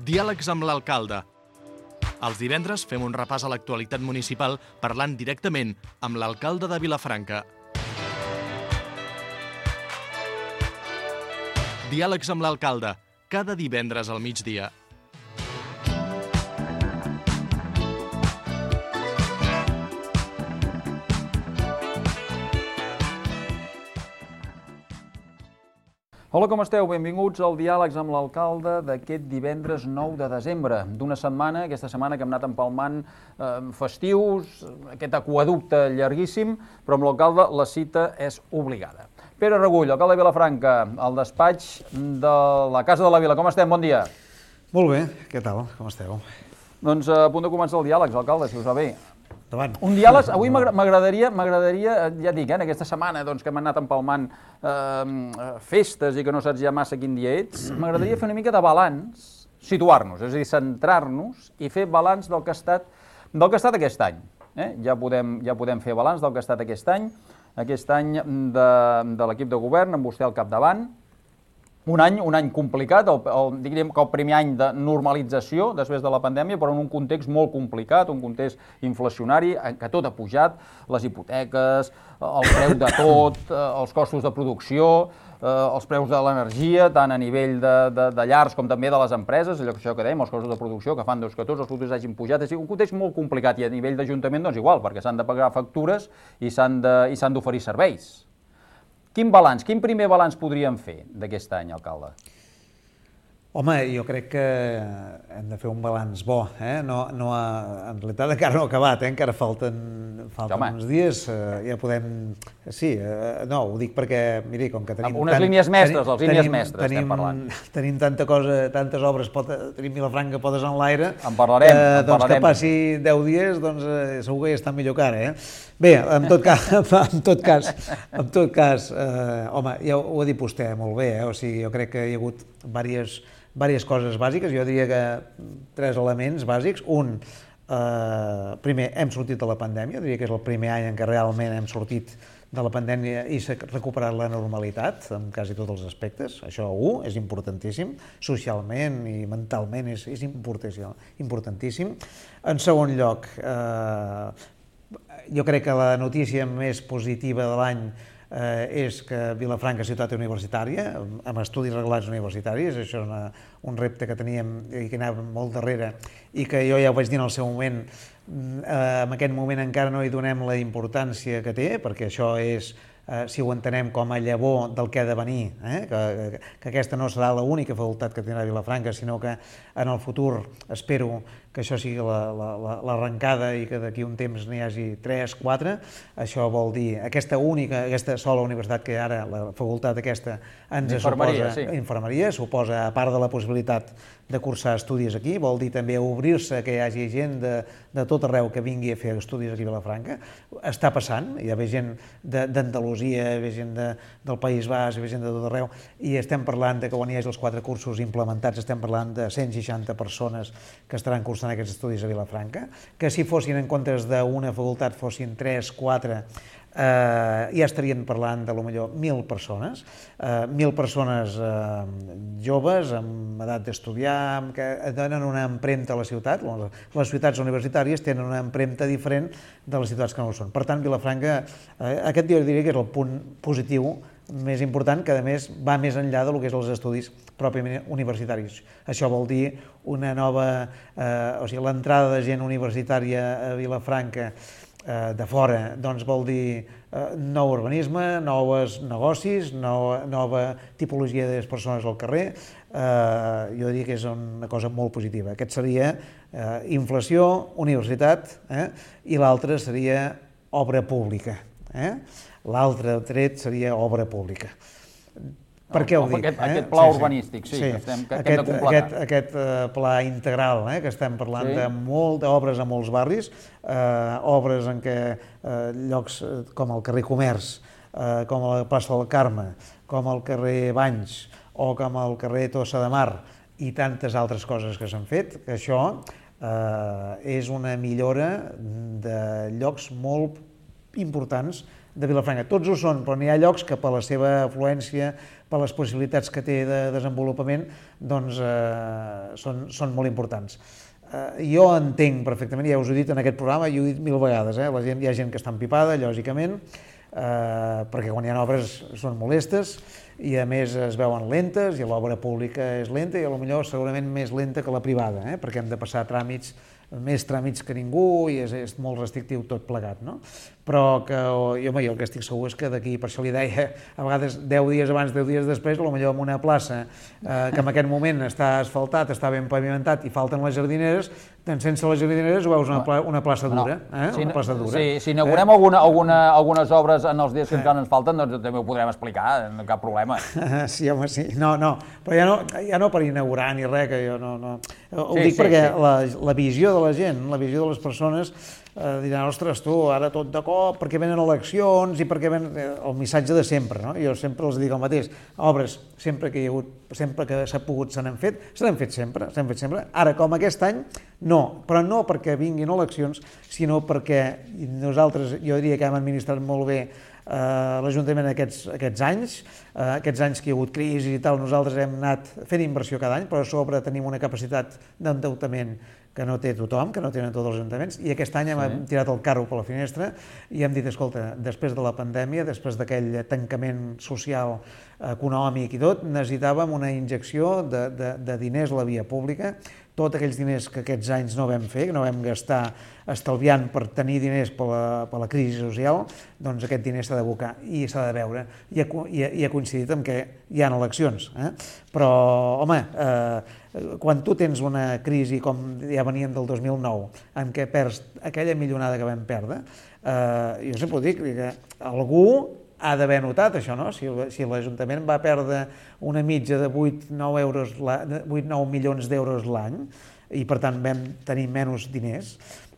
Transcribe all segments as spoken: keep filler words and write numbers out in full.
Diàlegs amb l'alcalde. Els divendres fem un repàs a l'actualitat municipal parlant directament amb l'alcalde de Vilafranca. Diàlegs amb l'alcalde, cada divendres al migdia. Hola, com esteu? Benvinguts al Diàlegs amb l'alcalde d'aquest divendres nou de desembre, d'una setmana, aquesta setmana que hem anat empalmant eh, festius, aquest aquaducte llarguíssim, però amb l'alcalde la cita és obligada. Pere Regull, alcalde de Vilafranca, al despatx de la Casa de la Vila. Com estem? Bon dia. Molt bé, què tal? Com esteu? Doncs a punt de començar el diàleg, alcalde, si us va bé. Endavant. Un diàleg, avui m'agradaria, m'agradaria, ja dic, en aquesta setmana doncs, que hem anat empalmant eh, festes i que no saps ja massa quin dia ets, m'agradaria fer una mica de balanç, situar-nos, és a dir, centrar-nos i fer balanç del que ha estat, del que ha estat aquest any. Eh? Ja, podem, ja podem fer balanç del que ha estat aquest any, aquest any de, de l'equip de govern, amb vostè al capdavant. Un any, un any complicat, el, el, diríem que el primer any de normalització després de la pandèmia, però en un context molt complicat, un context inflacionari, en què tot ha pujat, les hipoteques, el preu de tot, els costos de producció, els preus de l'energia, tant a nivell de, de, de llars com també de les empreses, allò que, això que dèiem, els costos de producció, que fan doncs, que tots els productes hagin pujat. És un context molt complicat i a nivell d'Ajuntament doncs igual, perquè s'han de pagar factures i s'han d'oferir serveis. Quin balanç, quin primer balanç podríem fer d'aquest any, alcalde? Home, jo crec que hem de fer un balanç bo, eh? No, no ha, en realitat encara no ha acabat, eh? Encara falten, falten uns dies, eh, ja podem... Sí, eh, no, ho dic perquè, miri, com que tenim... Unes tant, línies mestres, les línies tenim, mestres tenim, estem parlant. Tenim tanta cosa, tantes obres, pot, tenim Vilafranca podes en l'aire... En parlarem, que, en doncs, parlarem. Que passi deu dies, doncs eh, segur que ja està millor que ara, eh? Bé, en tot cas, en tot cas, en tot cas eh, home, ja ho ha dit vostè molt bé, eh? O sigui, jo crec que hi ha hagut diverses... diverses coses bàsiques, jo diria que tres elements bàsics. Un, eh, primer, hem sortit de la pandèmia, diria que és el primer any en què realment hem sortit de la pandèmia i s'ha recuperat la normalitat en quasi tots els aspectes. Això, un, és importantíssim, socialment i mentalment és, és importantíssim. En segon lloc, eh, jo crec que la notícia més positiva de l'any Eh, és que Vilafranca és ciutat universitària, amb estudis reglats universitaris. Això és una, un repte que teníem i que anava molt darrere i que jo ja ho vaig dir en el seu moment. Eh, en aquest moment encara no hi donem la importància que té, perquè això és, eh, si ho entenem com a llavor del que ha de venir, eh? que, que, que aquesta no serà l'única facultat que tindrà Vilafranca, sinó que en el futur espero que això sigui l'arrencada i que d'aquí un temps n'hi hagi tres, quatre. Això vol dir aquesta única, aquesta sola universitat que ara, la facultat aquesta, ens suposa sí. Infermeria, suposa, a part de la possibilitat de cursar estudis aquí, vol dir també obrir-se, que hi hagi gent de, de tot arreu que vingui a fer estudis aquí a Vilafranca. Està passant, hi ha gent d'Andalusia, hi ha gent de, del País Basc, hi ha gent de tot arreu, i estem parlant de que quan hi hagi els quatre cursos implementats, estem parlant de cent seixanta persones que estaran cursant aquests estudis a Vilafranca, que si fossin en comptes d'una facultat fossin tres, quatre, eh, ja estarien parlant de potser mil persones, eh, mil persones eh, joves, amb edat d'estudiar, que donen una empremta a la ciutat. Les ciutats universitàries tenen una empremta diferent de les ciutats que no ho són. Per tant, Vilafranca, eh, aquest dia diria que és el punt positiu més important, que a més va més enllà del que és els estudis pròpiament universitaris. Això vol dir una nova, eh, o sigui, l'entrada de gent universitària a Vilafranca eh, de fora, doncs vol dir eh, nou urbanisme, nous negocis, nova, nova tipologia de persones al carrer. Eh, jo diria que és una cosa molt positiva. Aquest seria eh, inflació, universitat, eh, i l'altre seria obra pública. Eh? L'altre tret seria obra pública. Per què ho dic? Aquest, eh? aquest pla sí, urbanístic, sí, sí. Que, estem, que, aquest, que hem de completar. Aquest, aquest uh, pla integral, eh? Que estem parlant sí. de molt d'obres a molts barris, uh, obres en què uh, llocs uh, com el carrer Comerç, uh, com la plaça del Carme, com el carrer Banys o com el carrer Tossa de Mar i tantes altres coses que s'han fet, que això uh, és una millora de llocs molt importants de Vilafranca. Tots ho són, però n'hi ha llocs que per la seva afluència, per les possibilitats que té de desenvolupament, doncs eh, són, són molt importants. Eh, jo entenc perfectament, ja us ho he dit en aquest programa, i ho he dit mil vegades, eh? La gent, hi ha gent que està empipada, lògicament, eh, perquè quan hi ha obres són molestes, i a més es veuen lentes, i l'obra pública és lenta, i potser segurament més lenta que la privada, eh? Perquè hem de passar tràmits, més tràmits que ningú, i és, és molt restrictiu tot plegat, no? Però que, jo, home, jo el que estic segur és que d'aquí, per això li deia, a vegades deu dies abans, deu dies després, potser en una plaça eh, que en aquest moment està asfaltat, està ben pavimentat i falten les jardineres, doncs sense les jardineres ho veus una, pla, una plaça dura, eh? Si, una plaça dura. Si, si inaugurem eh? alguna, alguna, algunes obres en els dies que encara ens falten, doncs també ho podrem explicar, no cap problema. Sí, home, sí. No, no, però ja no, ja no per inaugurar ni res, que jo no... no. Ho sí, dic sí, perquè sí. La, la visió de la gent, la visió de les persones, eh, diran, ostres, tu, ara tot de cop, perquè venen eleccions i perquè venen... El missatge de sempre, no? Jo sempre els dic el mateix. Obres, sempre que hi ha hagut, sempre que s'ha pogut, se n'han fet, se n'han fet sempre, se n'han fet sempre. Ara, com aquest any, no, però no perquè vinguin eleccions, sinó perquè nosaltres, jo diria que hem administrat molt bé Uh, l'Ajuntament aquests, aquests anys, uh, aquests anys que hi ha hagut crisi i tal, nosaltres hem anat fent inversió cada any, però a sobre tenim una capacitat d'endeutament que no té tothom, que no tenen tots els ajuntaments, i aquest any hem sí. tirat el carro per la finestra i hem dit, escolta, després de la pandèmia, després d'aquell tancament social, econòmic i tot, necessitàvem una injecció de, de, de diners a la via pública, tots aquells diners que aquests anys no vam fer, que no vam gastar estalviant per tenir diners per la, per la crisi social, doncs aquest diner s'ha d'abocar i s'ha de veure. I ha, i, ha, I ha coincidit amb que hi ha eleccions. Eh? Però, home, eh, quan tu tens una crisi com ja veníem del dos mil nou, en què perds aquella milionada que vam perdre, eh, jo sempre ho dic, que algú ha d'haver notat això, no? Si, si l'Ajuntament va perdre una mitja de vuit nou milions d'euros l'any i per tant vam tenir menys diners,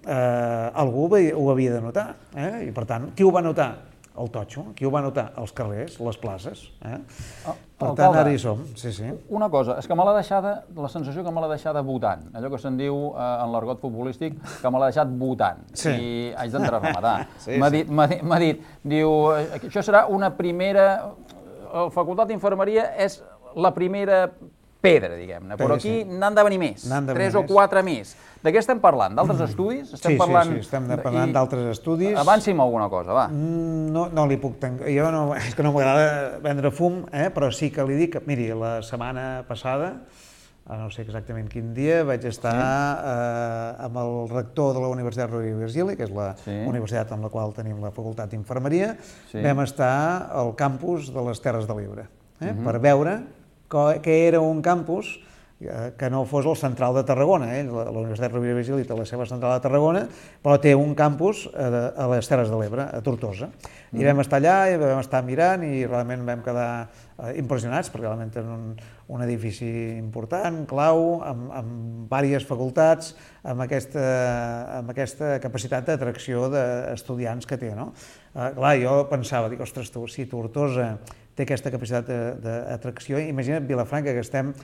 eh, algú ho havia de notar. Eh? I per tant, qui ho va notar? El totxo. Qui ho va notar? Els carrers, les places. Eh? Oh, per tant, ara hi som. Sí, sí. Una cosa, és que me l'ha deixada, la sensació que me l'ha deixada votant, allò que se'n diu eh, en l'argot futbolístic, que me l'ha deixat votant, sí. I haig d'entrar a rematar. Sí, m'ha dit, dit, dit, diu, això serà una primera, la Facultat d'Infermeria és la primera pedra, diguem-ne, però aquí n'han de venir més, tres o quatre més. De què estem parlant? D'altres estudis? Sí, sí, sí, estem parlant d'altres estudis. Avanci'm alguna cosa, va. No, no li puc tancar, jo no, és que no m'agrada vendre fum, eh? Però sí que li dic, miri, la setmana passada, no sé exactament quin dia, vaig estar sí. eh, amb el rector de la Universitat Rovira i Virgili, que és la sí. universitat amb la qual tenim la Facultat d'Infermeria, sí. vam estar al campus de les Terres de l'Ebre, eh? uh-huh. per veure que era un campus que no fos el central de Tarragona. Eh? La, la Universitat Rovira i Virgili té la seva central de Tarragona, però té un campus a, a les Terres de l'Ebre, a Tortosa. I mm. vam estar allà, i vam estar mirant, i realment vam quedar eh, impressionats, perquè realment és un, un edifici important, clau, amb, amb diverses facultats, amb aquesta, amb aquesta capacitat d'atracció d'estudiants que té. No? Eh, clar, jo pensava, dic, ostres, tu, si Tortosa té aquesta capacitat d'atracció, imagina't Vilafranca, que estem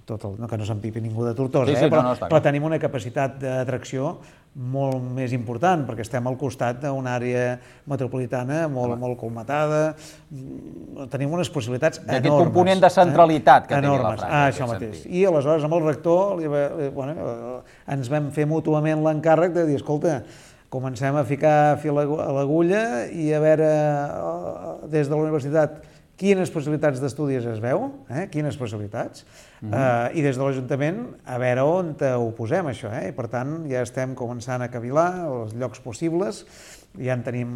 tot el, no que no s'empipi ningú de Tortosa, sí, sí, eh? però, no, no però tenim una capacitat d'atracció molt més important, perquè estem al costat d'una àrea metropolitana molt, molt colmatada, tenim unes possibilitats enormes. D'aquest component de centralitat eh? que té Vilafranca. Ah, això mateix. Sentit. I aleshores amb el rector li, bueno, ens vam fer mútuament l'encàrrec de dir, escolta, comencem a ficar fil a l'agulla i a veure des de la universitat quines possibilitats d'estudis es veu, eh? quines possibilitats, mm-hmm. eh, i des de l'Ajuntament a veure on ho posem, això. Eh? I per tant, ja estem començant a cavilar els llocs possibles, ja en tenim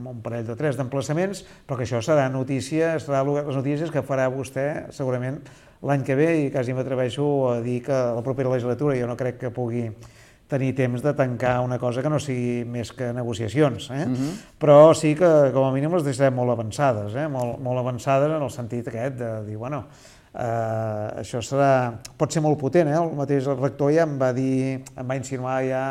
un parell o tres d'emplaçaments, però que això serà notícia, serà les notícies que farà vostè segurament l'any que ve, i quasi m'atreveixo a dir que la propera legislatura jo no crec que pugui tenir temps de tancar una cosa que no sigui més que negociacions, eh? Uh-huh. Però sí que, com a mínim, les deixarem molt avançades, eh? molt, molt avançades en el sentit aquest de dir, bueno, eh, això serà, pot ser molt potent, eh? El mateix rector ja em va dir, em va insinuar ja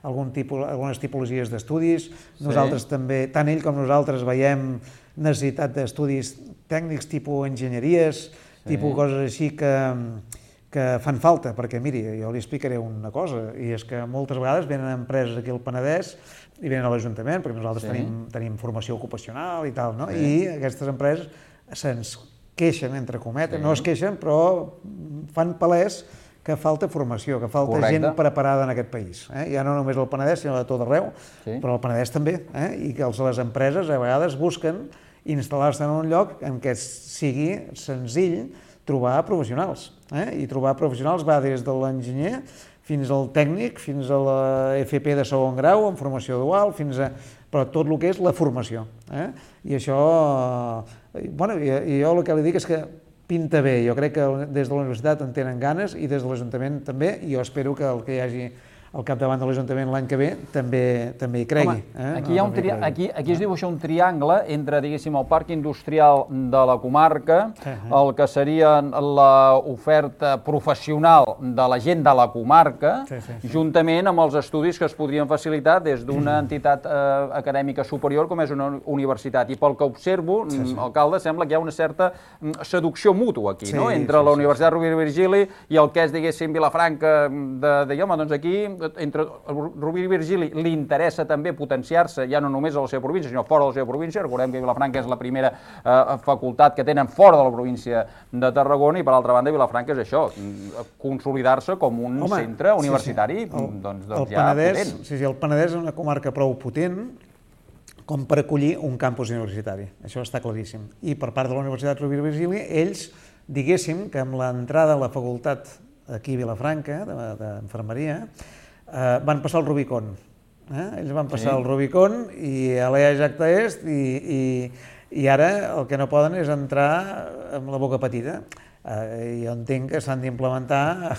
algun tipus, algunes tipologies d'estudis, sí. Nosaltres també, tant ell com nosaltres veiem necessitat d'estudis tècnics tipus enginyeries, sí. tipus coses així que... que fan falta, perquè miri, jo li explicaré una cosa, i és que moltes vegades venen empreses aquí al Penedès i venen a l'Ajuntament, perquè nosaltres sí. tenim, tenim formació ocupacional i tal, no? Sí. I aquestes empreses se'ns queixen, entre cometes, sí. no es queixen, però fan palès que falta formació, que falta Correcte. gent preparada en aquest país. Eh? Ja no només al Penedès, sinó a tot arreu, sí. però al Penedès també. Eh? I que les empreses a vegades busquen instal·lar-se en un lloc en què sigui senzill trobar professionals. Eh? I trobar professionals va des de l'enginyer fins al tècnic, fins a la F P de segon grau, en formació dual, fins a... però tot el que és la formació. Eh? I això... Bueno, i, i jo el que li dic és que pinta bé. Jo crec que des de la universitat en tenen ganes i des de l'Ajuntament també, i jo espero que el que hi hagi al capdavant de l'Ajuntament l'any que ve també també hi cregui. Home, eh? aquí, hi ha un tri... aquí, aquí es dibuixa un triangle entre, diguéssim, el parc industrial de la comarca, uh-huh. el que seria l'oferta professional de la gent de la comarca, sí, sí, sí. juntament amb els estudis que es podrien facilitar des d'una entitat eh, acadèmica superior com és una universitat. I pel que observo, sí, sí. alcalde, sembla que hi ha una certa seducció mútua aquí, sí, no? entre sí, la Universitat sí. Rovira i Virgili i el que és, diguéssim, Vilafranca, de, de home, doncs aquí entre Rovira i Virgili li interessa també potenciar-se ja no només a la seva província, sinó fora de la seva província. Recordem que Vilafranca és la primera eh, facultat que tenen fora de la província de Tarragona i, per altra banda, Vilafranca és això, consolidar-se com un Home, centre universitari sí, sí. El, doncs, doncs el ja Penedès, potent. Sí, sí, el Penedès és una comarca prou potent com per acollir un campus universitari, això està claríssim. I per part de la Universitat Rovira i Virgili, ells, diguéssim que amb l'entrada a la facultat aquí a Vilafranca, d'Infermeria, Uh, van passar el Rubicon. Eh? Ells van passar sí. el Rubicon i a l'E A Jacta Est i, i, i ara el que no poden és entrar amb la boca petita. Uh, jo entenc que s'han d'implementar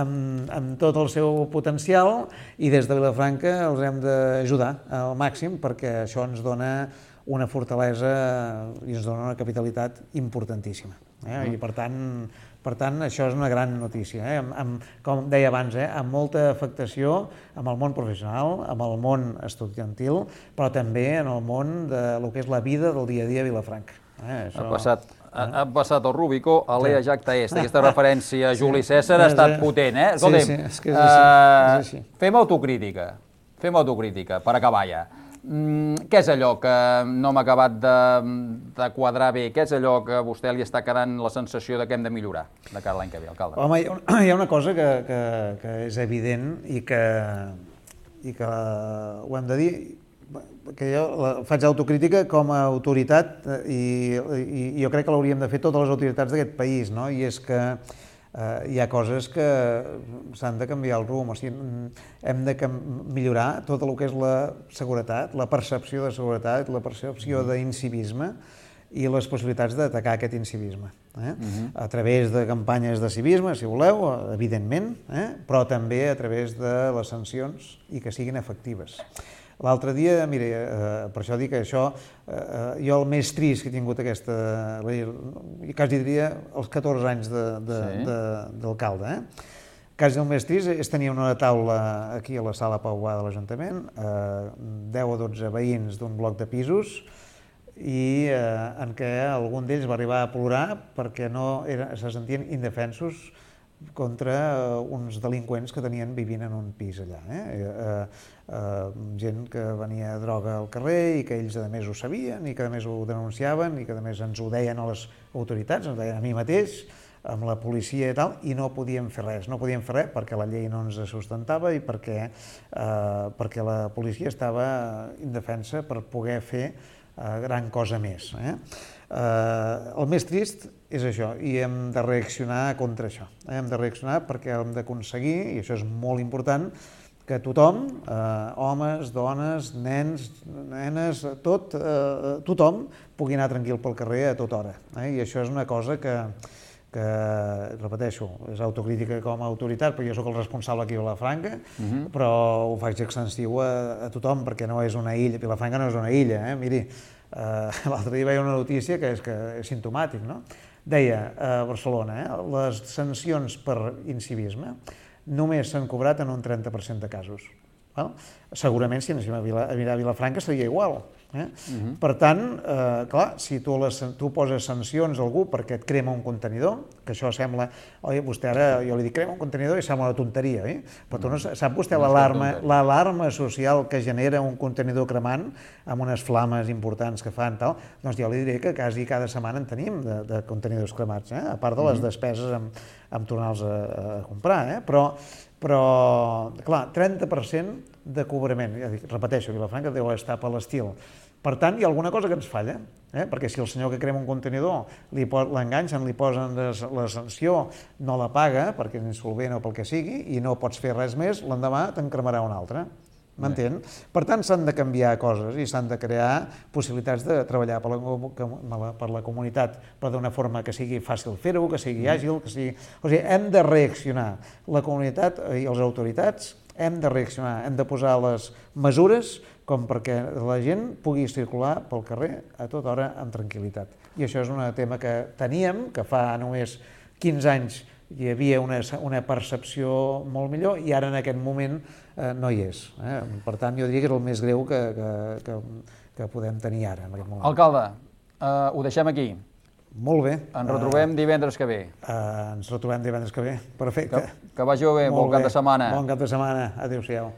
amb, amb tot el seu potencial i des de Vilafranca els hem d'ajudar al màxim perquè això ens dona una fortalesa i ens dona una capitalitat importantíssima. Eh? Mm. I per tant, Per tant, això és una gran notícia, eh? amb, amb, com deia abans, eh? amb molta afectació amb el món professional, amb el món estudiantil, però també en el món de lo que és la vida del dia a dia a Vilafranca. Eh? Això... Ha passat, ha, ha passat el Rubicó a l'E A Jacta Est. Aquesta referència a Juli César ha estat potent, eh? Escolta'm, sí, sí, és que és així, és així. Uh, fem autocrítica, fem autocrítica, per acabar ja. Mm, què és allò que no m'ha acabat de, de quadrar bé? Què és allò que a vostè li està quedant la sensació de que hem de millorar de cara a l'any que ve, alcalde? Home, hi ha, hi ha una cosa que, que, que és evident i que, i que ho hem de dir, que jo la, faig autocrítica com a autoritat i, i, i jo crec que l'hauríem de fer totes les autoritats d'aquest país, no? I és que Uh, hi ha coses que s'han de canviar el rumb, o sigui, hem de millorar tot el que és la seguretat, la percepció de seguretat, la percepció d'incivisme i les possibilitats d'atacar aquest incivisme. Eh? Uh-huh. A través de campanyes de civisme, si voleu, evidentment, eh? però també a través de les sancions i que siguin efectives. L'altre dia, mira, eh, per això dic que això, eh, jo el més trist que he tingut aquesta, quasi diria els catorze anys d'alcalde, eh? quasi el més trist és tenir una taula aquí a la sala Pauà de l'Ajuntament, eh, deu o dotze veïns d'un bloc de pisos, i eh, en què algun d'ells va arribar a plorar perquè no era, se sentien indefensos contra uh, uns delinqüents que tenien vivint en un pis allà. Eh? Uh, uh, gent que venia droga al carrer i que ells a més ho sabien i que a més ho denunciaven i que a més ens ho deien a les autoritats, ens ho deien a mi mateix, amb la policia i tal, i no podíem fer res. No podíem fer res perquè la llei no ens sustentava i perquè, uh, perquè la policia estava indefensa per poder fer uh, gran cosa més. Eh? Uh, el més trist és això, i hem de reaccionar contra això. Eh? Hem de reaccionar perquè hem d'aconseguir, i això és molt important, que tothom, eh, homes, dones, nens, nenes, tot, eh, tothom pugui anar tranquil pel carrer a tota hora. Eh? I això és una cosa que, que, repeteixo, és autocrítica com a autoritat, perquè jo sóc el responsable aquí a Vilafranca, uh-huh. però ho faig extensiu a, a tothom, perquè no és una illa, Vilafranca no és una illa, eh? Miri, Uh, l'altre dia veia una notícia que és, que és simptomàtic, no? Deia a Barcelona, eh, les sancions per incivisme només s'han cobrat en un trenta per cent de casos. Val? Segurament si anéssim a, Vila, a mirar a Vilafranca seria igual, Eh? Uh-huh. Per tant, eh, clar, si tu, les, tu poses sancions a algú perquè et crema un contenidor, que això sembla, oi, vostè ara, jo li dic crema un contenidor i sembla una tonteria, oi? Però tu no sap vostè l'alarma l'alarma social que genera un contenidor cremant amb unes flames importants que fan, tal, doncs jo li diré que quasi cada setmana en tenim de, de contenidors cremats, eh? A part de les despeses amb, amb tornar-los a, a comprar, eh? Però, però, clar, trenta per cent de cobrament, ja dic, repeteixo, Vilafranca deu estar per l'estil. Per tant, hi ha alguna cosa que ens falla, eh? Perquè si el senyor que crema un contenidor l'enganxen, li posen la sanció, no la paga perquè és insolvent o pel que sigui, i no pots fer res més, l'endemà te'n cremarà un altre. M'entén? Per tant, s'han de canviar coses i s'han de crear possibilitats de treballar per la, per la comunitat, però d'una forma que sigui fàcil fer-ho, que sigui àgil, que sigui... O sigui, hem de reaccionar. La comunitat i les autoritats hem de reaccionar, hem de posar les mesures com perquè la gent pugui circular pel carrer a tota hora amb tranquil·litat. I això és un tema que teníem, que fa només quinze anys hi havia una, una percepció molt millor i ara en aquest moment eh, no hi és. Eh? Per tant, jo diria que és el més greu que, que, que, que podem tenir ara en aquest moment. Alcalde, eh, ho deixem aquí. Molt bé. Ens retrobem uh, divendres que ve. Uh, ens retrobem divendres que ve. Perfecte. Que, que vagi bé, bon cap de setmana. Bon cap de setmana. Adéu-siau.